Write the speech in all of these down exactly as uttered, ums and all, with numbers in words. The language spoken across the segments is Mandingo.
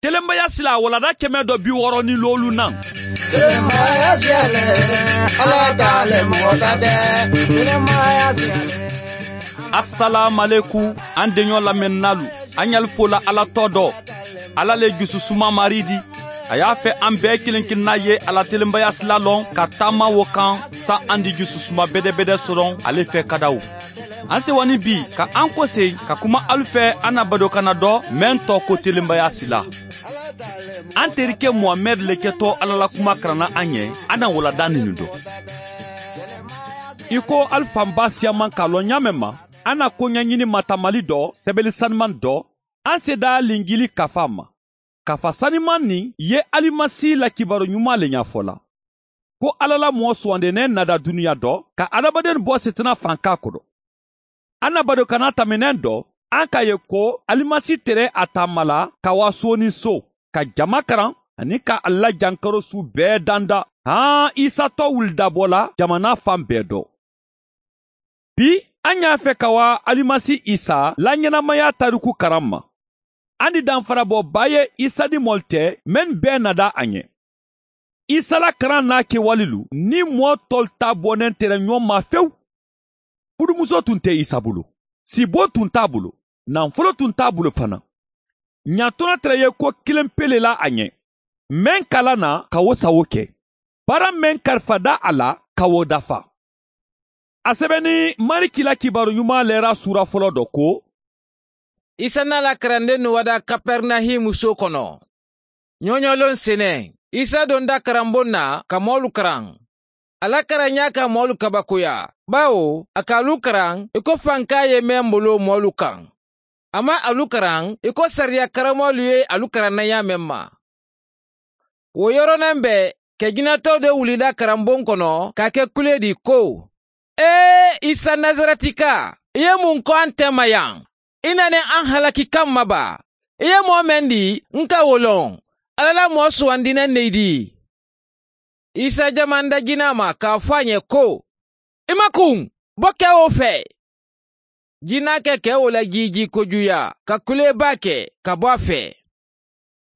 Telenbaya sila walanda kɛmɛ dɔ bi wɔɔrɔ ni loolu naŋ. Telenbaya sila le, Ala ta le, mɔgɔ ta tɛ. Telenbaya sila le. Asalaamalekum, an deɲɔ lamɛnninaalu, an ɲali fola Ala tɔ dɔ. Ala le jususuma Mari di. A y'a fɛ an bɛɛ kelen kelenna ye a la telenbaya sila lɔn ka taama wo kan, sa an di jususuma bɛdɛbɛdɛ sɔrɔ ale fɛ kadaw. An sewani bi ka an kosegi ka kuma alu fɛ an na badokanna dɔ, meŋ tɔgɔ ko telenbaya sila. An terike muhamɛdi le kɛtɔ ala la kuma karanna an ye. An na walanda ninnu dɔn. I ko alu fanba siyaman k'a lɔn ɲaameŋ ma, an na koɲɛɲini matamali dɔ, sɛbɛli saniman dɔ, an seda linjili kafa ma. Kafa saniman nin ye alimasi la kibaru ɲuman le ɲafɔla, ko ala la mɔɔ suwandennen nada duniya dɔ ka adamaden bɔ sitana fanka kono. An na badokanna tɛmɛnen dɔ, an k'a ye ko alimasi tere a taamala ka wa soonin so, ka jama karan, ani ka a la jankaro su bɛɛ danda. Haa, isatɔ wulidabɔla jamana fan bɛɛ dɔ. Bi, an y'a fɛ ka wa alimasi isa la ɲɛnamaya tariku karan ma. An di danfarabɔba ye isa ni mɔli tɛ, mennu bɛɛ nada a ɲɛ. Isa la karan n'a kewalilu ni mɔɔ tɔlu ta bɔnnen tɛ ɲɔgɔn ma fewu. Fudumuso tun tɛ isa bolo, sibo tun t'a bolo, nanfolo tun t'a bolo fana. Ɲatɔnɔ tere ye ko kelen pe le la a ɲɛ, meŋ kala na ka wo sawo kɛ, baara meŋ kalifada a la ka wo dafa. A sɛbɛnni mariki la kibaru ɲuman lɛra suura fɔlɔ dɔ ko. Isa n'a la karandennu wada kapɛrinahimu so kono. Ɲɔɲɔlon senen, isa donda karanbon na ka moolu karan. A la karan ɲaa ka moolu kabakoya, bawo a ka alu karan i ko fanka ye meŋ bolo moolu kaŋ. A maŋ alu karan i ko sariya karamoolu ye alu karan na ɲaameŋ ma. Wo yoronaŋ be ke jinatoo do wulida karanbon kono ka ke kule di ko, ee, isa nazaratika, i ye muŋ ko an te ma yaŋ? I na ne an halaki kaŋ ma ba? I ye moo meŋ di n ka wo loŋ, ala la moo suwandinaŋ ne i di. Isa jamanda jinaa ma ka a fo a ɲe ko, i ma kuŋ, bo ke wo fee. Jinaa ke ke wo la jiijii kojuya ka kulee baa ke ka bo a fee.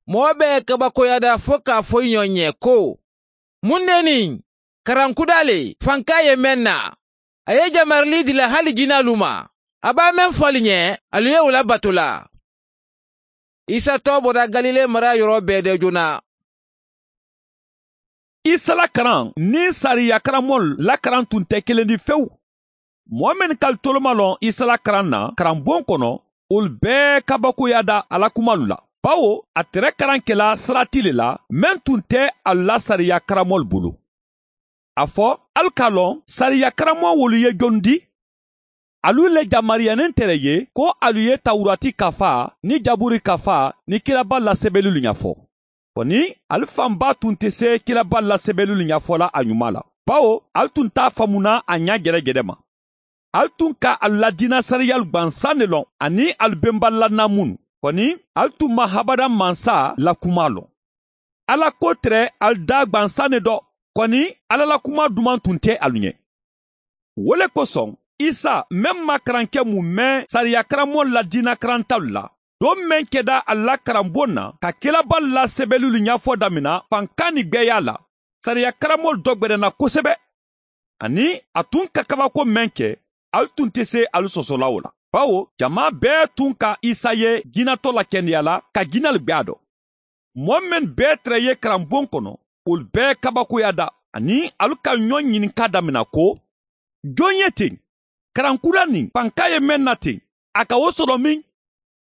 Moo bee kabakoyata fo ka a fo i ɲoŋ ye ko, muŋ ne niŋ karankudaa le fanka ye meŋ na? A ye jamarili dila hali jinaalu ma. A be a meŋ fo ali ɲe, ali ye wo la batu la. Isa too bota galile mara yoroo bee de jona. Isa la karaŋ niŋ sariya karamoolu la karaŋ tun te kelendi fewu. Moo mennu ka ali toloma loŋ isa la karaŋ na karanboŋ kono, wolu bee kabakoyata a la kumalu la, bawo a tere karaŋ kela sarati le la meŋ tun te alu la sariya karamoolu bulu. A fo, ali ka loŋ sariya karamoolu ye joŋ di? Alu le jamariyanintere ye ko alu ye tawurati kafa niŋ jaburi kafa niŋ kiraba lasebelulu ɲafo. Koni ali fanba tun te see kiraba lasebelulu ɲafola a ɲuma la, bawo ali tun t'a famuna a ɲa jerejere ma. Ali tun ka alu la diina sariyalu gbansaŋ ne loŋ aniŋ alu benbali la naamunu. Koni ali tun maŋ habada mansa la kuma loŋ. Ala ko tere ali daa gbansaŋ ne do. Koni ala la kuma dumaŋ tun te alu ɲe. Wo le kosoŋ, isa meŋ maŋ karaŋ ke mu meŋ sariya karamoolu la diina karantalu la, doŋ meŋ keda ali la karamboŋ na ka kelabalu la sebelulu ɲafo damina fankaani gbeeyaa la, sariya karamoolu do gberenna kosebe. Aniŋ a tun ka kabako meŋ ke, ali tun te see ali sosola wo la, bawo jamaa bee tun ka isa ye jinatoo la kendeya la ka jinalu gbe a do. Moo mennu bee tere ye karamboŋ kono, wolu bee kabakoyata aniŋ alu ka ɲoŋ ɲininka damina ko, joŋ ye teŋ? Karaŋ kura niŋ fanka ye meŋ na teŋ, a ka wo soto miŋ?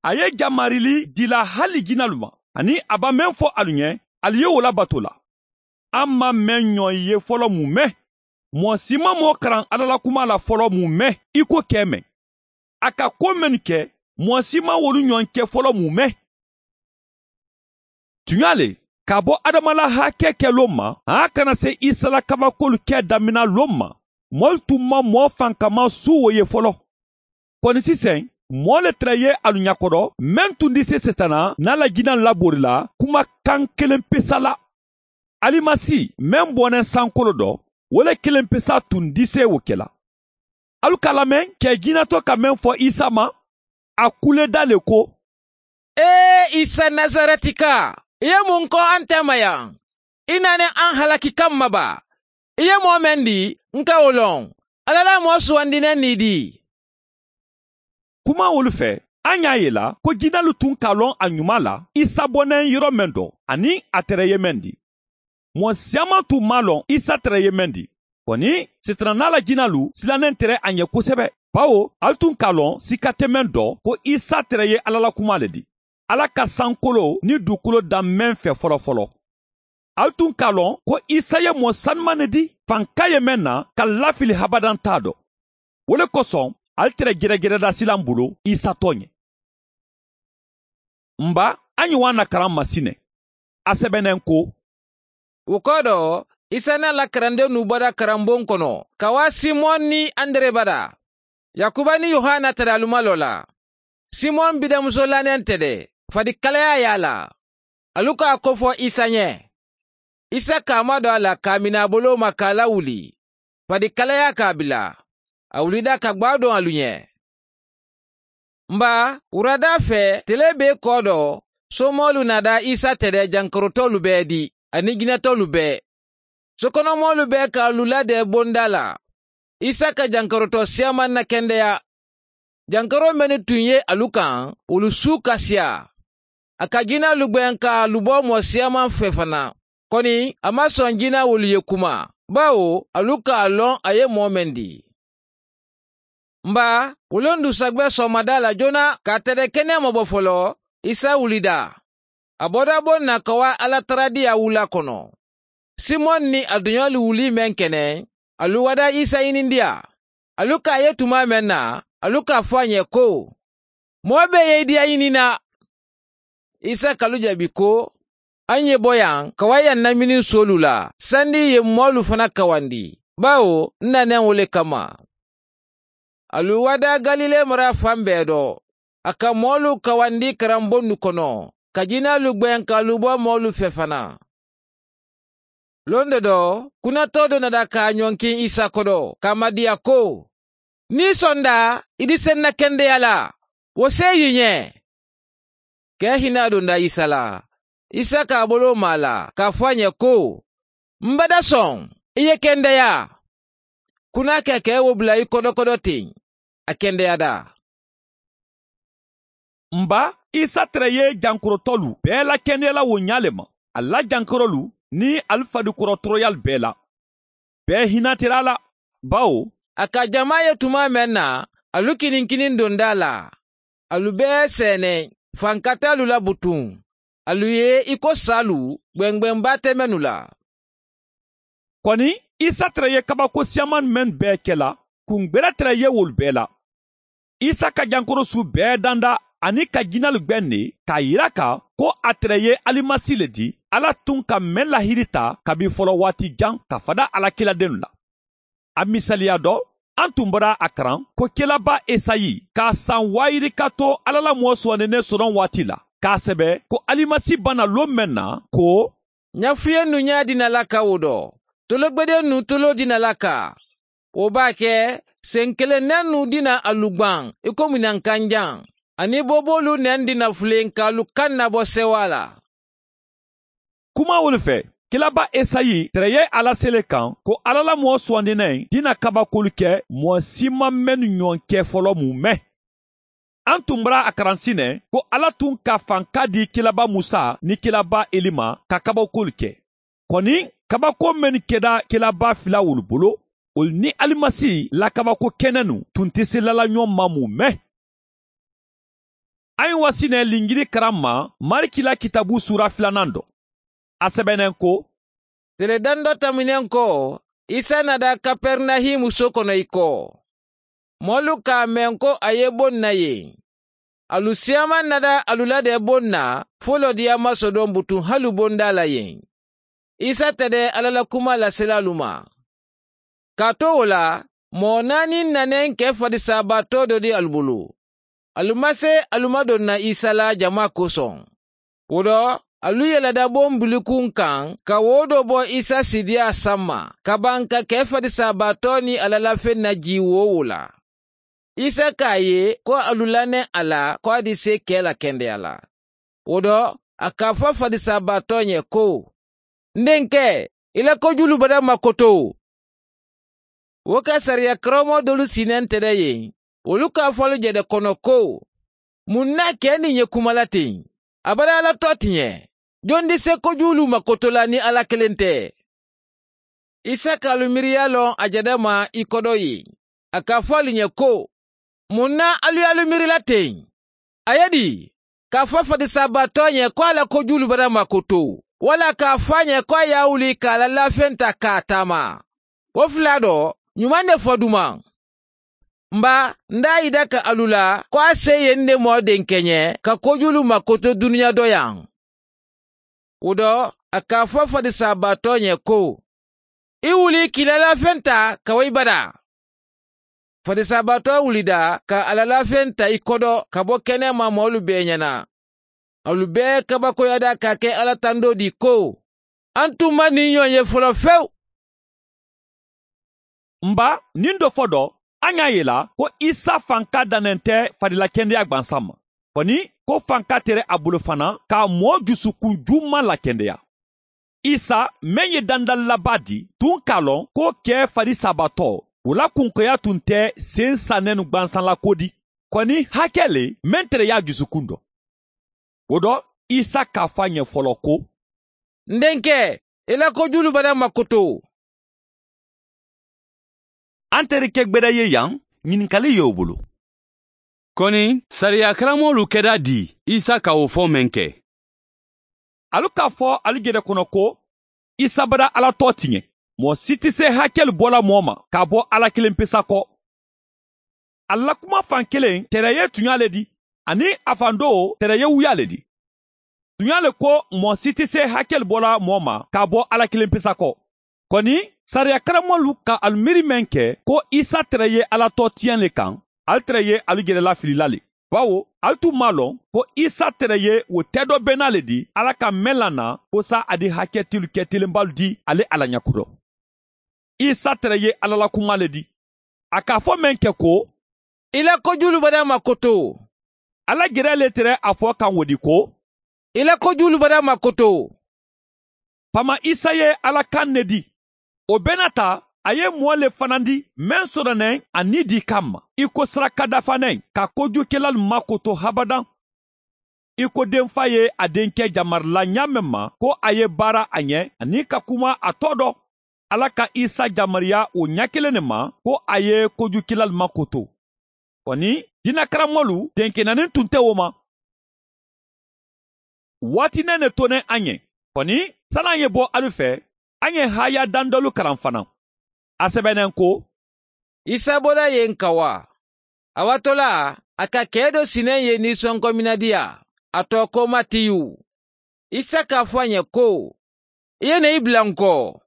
A ye jamarili dila hali jinalu ma, aniŋ a be meŋ fo alu ɲe, ali ye wo labato la. Alu maŋ meŋ ɲoŋ ye folo mu meŋ? Moo si maŋ moo karaŋ alla la kumaa la folo mu meŋ i ko kee meŋ? A ka koo mennu ke, moo si maŋ wolu ɲoŋ ke folo mu meŋ? Tuɲaa le, ka bo adama la haakee ke loŋ ma, a ye a kana se isa la kabakoolu ke damina loŋ ma, moolu tun maŋ moo fankama suu wo ye folo. Koni siseŋ, moo le tara ye alu ɲakoto meŋ tun dise setana niŋ a la jinaŋ laboori la kuma kaŋ keleŋ pesa la. Alimasi meŋ boneŋ sankolo do, wo le keleŋ pesa tun dise wo ke la. Alu ka lameŋ kee jinato ka meŋ fo isa ma, a kuleda le ko, Ee, isa nazaretikaa, i ye muŋ ko a nte ma yaŋ? I naane a n halaki kamma baa. I ye moo meŋ dii n ka wo loŋ. Alla la moo suwandi neŋ niŋ i dii. Kumaŋ wolu fee a ñaa ye la ko jinaalu tuŋ ka a loŋ a ñumaa la isa bo neŋ yoro meŋ do aniŋ a tere ye meŋ dii. Moo siyaamaa tuŋ maŋ a loŋ isa tere ye meŋ dii. Koni sitaanaa la jinaalu sila neŋ tere a ñe kosebe. Bawo ali tuŋ ka a loŋ sika te meŋ do ko isa tere ye alla la kumaa le dii, alla ka sankoloo niŋ duukoloo daŋ meŋ fee folofoloo. Ali tuŋ ka a loŋ ko isa ye moo sanumaŋ ne dii fanka ye meŋ na ka lafili habadantaa do. Wo le kosoŋ ali tere jerejereda sila m bulu isa tooñe. M ba, a ñiŋ waa na karaŋ masi ne a sebeneŋ ko. Wo koodo, isa na a la karandennu bada karamboŋ kono ka waa simoŋ niŋ andere bada. Yakuba niŋ yohana tadaalu ma loo la. Simoŋ bidemuso lanente de, fadikalayaa ye a la. Alu ka a kofo isa ñe. Isa ka a madoo a la ka a mini a boloo ma ka a lawuli. Fadikalayaa ka a bila. A wulida ka gbaadoŋ alu ñe. M ba, wuradaa fee telee bee koodo, soomoolu naada isa tede jankorotoolu bee di aniŋ jinetoolu bee. Sokonomoolu bee ka alu la dee bondaa la. Isa ka jankorotoo siyaamanna kendeya. Jankoroo mennu tuŋ ye alu kaŋ wolu suu ka siyaa. A ka jinaalu gbeŋ ka alu bo moo siyaamanfee fanaa. Koni a maŋ soŋ jinaa wolu ye kuma, bawo alu ka a loŋ a ye moo meŋ dii. M ba, wo le n du sagbe soomadaa la joona ka a tede keneema bo foloo. Isa wulida. A boda boŋ na ka waa alla taradiyaa wulaa kono. Simoŋ niŋ a duñoolu wuli meŋ ke ne, alu wada isa ñinindiyaa. Alu ka a ye tumaa meŋ na, alu ka a fo a ñe ko, moo bee ye i diya ñini na. Isa ka alu jaabi ko, a ŋ ye bo yaŋ ka waa yaŋ na mininsoolu la sandi i ye moolu fana kawandi, bawo n na neŋ wo le kamma. Alu wada galile mara faŋ bee do. A ka moolu kawandi karamboŋ nu kono, ka jinaalu gbeŋ ka alu bo moolu fee fanaa. Londo do, kunatoo do nada ka a ñonkiŋ isa kodo ka a madiya ko, niŋ i sonda i dise n na kendeya la, wo seeyi ñe. Kee hinaa donda isa la. Isa ka a boloo maa la ka a fo a ñe ko, m bada soŋ, i ye kendeya. Kunaa keke wo bula i kodokodo teŋ, a kendeyata. M ba, isa tere ye jankorotolu bee la kendeya la wo ñaa le ma, ali la jankorolu niŋ ali fadikoro toroyaalu bee la. Bee hinatira a la, bawo a ka jamaa ye tumaa meŋ na, alu kiniŋ kiniŋ dondaa la. Alu bee seene fankataalu la butuŋ. Alu ye i ko saalu, gbengbeŋ baa te mennu la. Koni isa tere ye kabako siyaamaŋ mennu bee ke la, kungbera tere ye wolu bee la. Isa ka jankorosuu bee danda aniŋ ka jinaalu gbeŋ ne, ka a yira a kaŋ ko a tere ye alimasi le ti alla tuŋ ka meŋ lahiri ta kabiŋ folowaati jaŋ ka fada a la kiiladennu la. A misaliya do, a n tumbara a karaŋ ko kelaba esayi ka a saŋ waayiri ka to alla la moo suwandene sonoŋ waati la, ka a sebe ko alimasi bana loŋ meŋ na, ko, ñafuyennu ñaa dina la ka wo do, tologbedennu toloo dina la ka. Wo baa ke, senkeleŋ nennu dina alu gbaŋ i ko minankanjaŋ, aniŋ booboolu neŋ dina fuleŋ ka alu kaŋ na bo sewaa la. Kumaŋ wolu fee, kilaba esayi tere ye a lasele kaŋ ko alla la moo suwandinaŋ dina kabakoolu ke moo si maŋ mennu ñoŋ ke folo mu me. A n tumbara a karansi ne ko alla tun ka fanka di kilaba musa niŋ kilaba elima ka kabakoolu ke. Koni kabako mennu keda kilaba fila wolu bulu, wolu niŋ alimasi la kabako kenenu tun ti silala ñoŋ ma mu me. A ye wasi ne linjiri karamma mariki la kitabu suura filanaŋ do. A sebeneŋ ko, tele daŋ do tamineŋ ko, isa nada kaperinahim soo kono i ko, moolu ka a meŋ ko a ye bo n na yen. Alu siyama nada alu la de bo n na fo lodiya masodoŋ butuŋ halu bondaa la yen. Isa tede alla la kumaa lasila alu ma. Kaatu wo la, moo naani nane n ke fadisaabaatoo do di alu bulu. Alu ma se alu ma doŋ na isa la jamaa kosoŋ. Wo do, alu yelada boŋ bulikuŋ kaŋ ka wo do bo isa sidiyaa samma ka baŋ ka ke fadisaabaatoo niŋ alla la feŋ na jii woo wo la. Isa ka a ye ko alu la neŋ a la ko a di se ke la kendeya la. Wo do a ka a fo fadisaabaatoo ñe ko, n denke, i la kojuulu badaa maŋ koto. Wo ka sariya karammoo doolu sii ne nte de ye. Wolu ka a fo ali jede kono ko, muŋ na a ke niŋ ñe kuma la teŋ? A badaa la too ti ñe. Jondi se kojuulu maŋ koto la niŋ alla kiliŋ te? Isa ka alu miiriyaa loŋ a jede ma i kodo ye. A ka a fo ali ñe ko, muŋ na alu ye alu miiri la teŋ? A ye di ka a fo fadisaabaatoo ñe ko a la kojuulu badaa maŋ koto, walla ka a fo a ñe ko a ye a wuli ka a la laafeŋ taa ka a taama? Wo fula do, ñumaŋ ne fo dumaŋ. M ba, n da a yida ka alu la ko a se ye n de moo denke ñe ka kojuulu maŋ koto duniyaa do yaŋ. Wo do, a ka a fo fadisaabaatoo ñe ko, i wuli ka i la laafeŋ taa ka wo i badaa. Fadisaabaatoo wulida ka a la laafeŋ taa i kodo ka bo kenema moolu bee ñaana. Alu bee kabakoyada ka ke alla tandoo dii ko, a n tun maŋ niŋ ñoo ye foloo fewu. M ba, niŋ do fo do, a ñaa ye la ko isa fanka danne nte fadila kendeyaa gbansaŋ ma. Koni, ko fanka tere a bulu fanaa ka a moo jusukun juumaŋ lakendeyaa. Isa meŋ ye dandali labaa dii tuŋ ka a loŋ ko kee fadisaabaatoo, wo la kunkoyaa tun te seŋ sannenu gbansaŋ la ko di. Koni, hake le meŋ tere ye a jusukun do. Wo do, isa ka a fo a ñe foloo ko, n denke, i la kojuulu badaa maŋ koto. A n teri ke gbeda ye yaŋ, ñininkali ye wo bulu. Koni, sariya karamoolu keda dii isa ka wo fo meŋ ke? Alu ka a fo alu jede kono ko, isa badaa alla too ti ñe. Moo si ti se hakelu bo la moo ma ka a bo alla kiliŋ pisa ko. Alla kuma faŋ kiliŋ tere ye tuñaa le di, aniŋ a faŋ doo tere ye wuyaa le di. Tuñaa le ko, moo si ti se hakelu bo la moo ma ka a bo alla kiliŋ pisa ko. Koni, sariya karamoolu ka alu miiri meŋ ke ko isa tere ye alla too tiyaŋ le kaŋ, ali tere ye alu jede lafili la le. Bawo, ali tun maŋ a loŋ ko isa tere ye wo tedoo bennaa le di alla kaŋ meŋ la na, ko saa a di haketilu ketilinbaalu di ali alla ñakoto. Isa tere ye alla la kumaa le di. A ka a fo meŋ ke ko, i la kojuulu badaa maŋ koto. Alla jeree le tere a fo kaŋ wo di ko, i la kojuulu badaa maŋ koto. Pama isa ye alla kaŋ ne di. Wo bee naata, a ye moo le fanandi meŋ soto neŋ a nii dii kamma i ko sarakadafaneŋ ka kojuukelaalu makoto habadaŋ. I ko denfaa ye a denke jamari la ñaameŋ ma ko a ye baara a ñe aniŋ ka kuma a too do. Alla ka isa jamariyaa wo ñaa kiliŋ ne ma ko a ye kojuukelaalu makoto. Koni, diina karamoolu denke naani tun te wo ma. Waati nene to ne a ñe. Koni, sani a ñe bo alu fe, a ñe haayaa daŋ doolu karaŋ fanaa. A sebeneŋ ko, isa boda ye n kawaa. A waatoo la, a ka kee do sineŋ ye niisonkominadiyaa, a too ko matiyu. Isa ka a fo a ñe ko, i ye ne i bula n ko.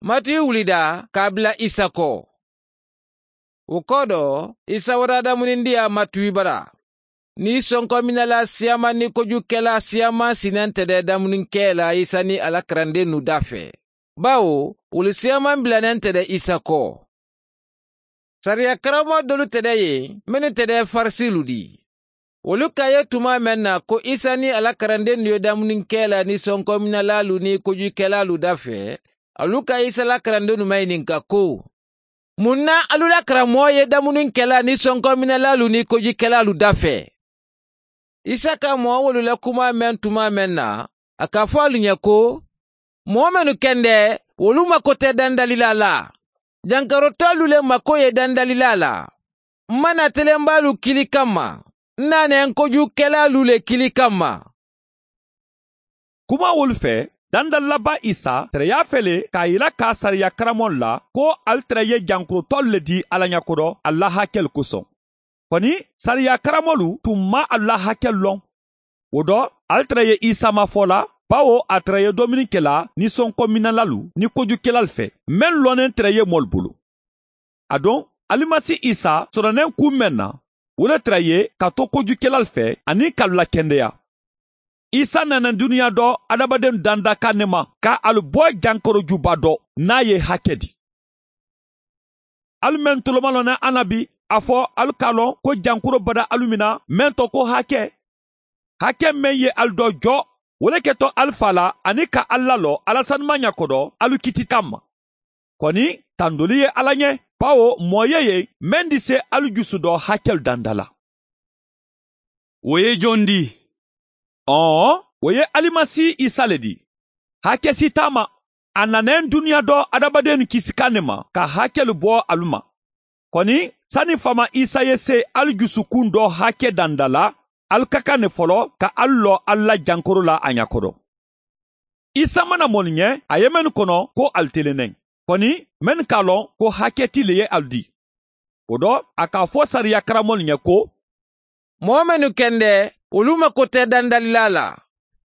Matiyu wulida ka a bula isa ko. Wo koodo, isa waradamunindiyaa matiyu bara. Niisonkominalaa siyaamaa niŋ kojuukelaa siyaamaa si nente de damuninkeela isa niŋ a la karandennu daafee. Bawo, wolu siyaamaa bila nente de isa ko. Sariya karamoo doolu te de ye mennu te de farisiilu di. Wolu ka ye tumaa meŋ na ko isa niŋ a la karandennu ye damuninkeela niisonkominalaalu niŋ kojuukelaalu daafee, alu ka isa la karandennu mayininka ko, muŋ na alu la karamoo ye damuninkelaa niŋ sonkominalaalu niŋ kojikelaalu dafee? Isa ka moo wolu la kumaa meŋ tumaa meŋ na, a ka a fo alu ñe ko, moo mennu kende, wolu mako te dandalilaa la. Jankarotoolu le mako ye dandalilaa la. M ma naa telenbaalu kili kamma, n naa ne n kojuukelaalu le kili kamma. Kuma wolu fe, dandali labaa isa tereyaa fele ka a yila ka sariya karamoolu la ko ali tere ye jankurutolu le di alla ñakoto ali la hakelu kosoŋ. Koni, sariya karamoolu tun maŋ alu la hakelu loŋ. Wo do, ali tere ye isa mafo la, bawo a tere ye dominiŋ kela ninsonkominalalu niŋ kojukelaalu fe, mennu loneŋ tere ye moolu bulu. Aduŋ, alimasi isa soto neŋ kuŋ meŋ na, wo le tara ye ka to kojukelaalu fe aniŋ ka alu lakendeya. Isa nana duniyaa do hadamadennu dandakaa ne ma ka alu bo jankoro juba do niŋ a ye hake di. Alu mennu tolomalonne a na bi, a fo alu ka a loŋ ko jankuro bada alu mina meŋ to ko hake. Hake meŋ ye ali doo joo, wo le ketoo ali faa la aniŋ ka ali laloo alla sanumaa ñakoo doo ali kitita m ma. Koni tandoli ye alla ñe, baawo moo ye ye meŋ di see ali jusu doo hakelu danda la. Wo ye jondi? Ɔɔ, wo ye alimasi isa le di. Hake sitaa ma. A nana ñiŋ duniyaa doo hadamadennu kisi kaŋ ne ma ka hakelu bo alu ma. Koni sani faama isa ye see ali jusukuŋ doo hake danda la, ali ka kaŋ ne foloo ka ali loo ali la jankaroo la a ñakoto. Isa mana moolu ñe a ye mennu kono ko ali tele neŋ, koni mennu ka a loŋ ko hake ti le ye ali dii. Wo to a ka a fo sariya karamoolu ñe ko, moo mennu kende wolu makote dandalilaa la.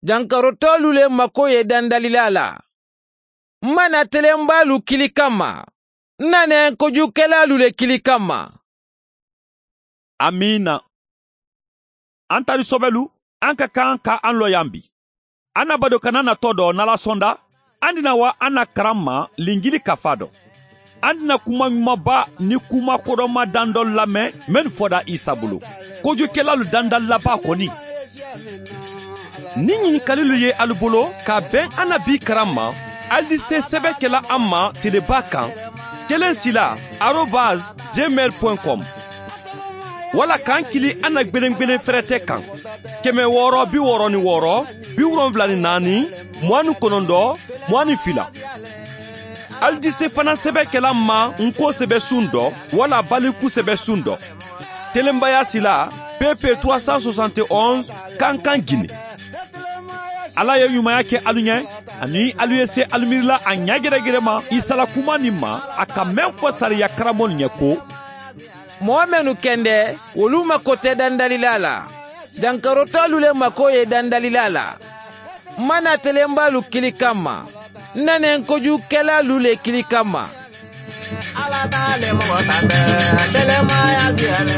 Jankarotoolu le makoo ye dandalilaa la. M mana telenbaalu kili kamma. N na neŋ kojuukelaalu le kili kamma. Amiina. An tari sobelu, an ka kaŋ ka an looyaŋ bi. An na badoo kana na too doo nala sonda. An dina wa an na karamma linjili kafaa do. An dina kuma ñumabaa ni kuma kodoma dandolu lameŋ mennu foda isa bulu. Kojuukelaalu dandalilabaa koni. Niŋ ñinkalilu ye alu bulu ka beŋ an na bii karamma, ali di see sebe kela an ma telebaa kaŋ, keleŋ sila arobas gmail point com. Walla ka n kili an na gbelengbelen ferete kaŋ, keme wooro bi wooro ni wooro, bi wolonwula ni naani, muwaani konondoo, muwaani fila. Ali di se fanaŋ sebe kela n ma n koo sebe suŋ do walla baliku sebe suŋ do. Telenbayaa sila, pepe trois cent soixante et onze, kankaŋ gine. Alla ye ñumaya ke alu ñe, aniŋ alu ye se alu miiri la a ñaageregerema isa la kumaa niŋ ma, a ka meŋ fo sariya karamoolu ñe ko, moo mennu kende wolu makote dandalilaa la. Jankarotoolu le makoo ye dandalilaa la. M mana telenbaalu kili kamma, n na neŋ kojuukelaalu le kili kamma. Alla taale moxo tambe telenbaayaa siyale.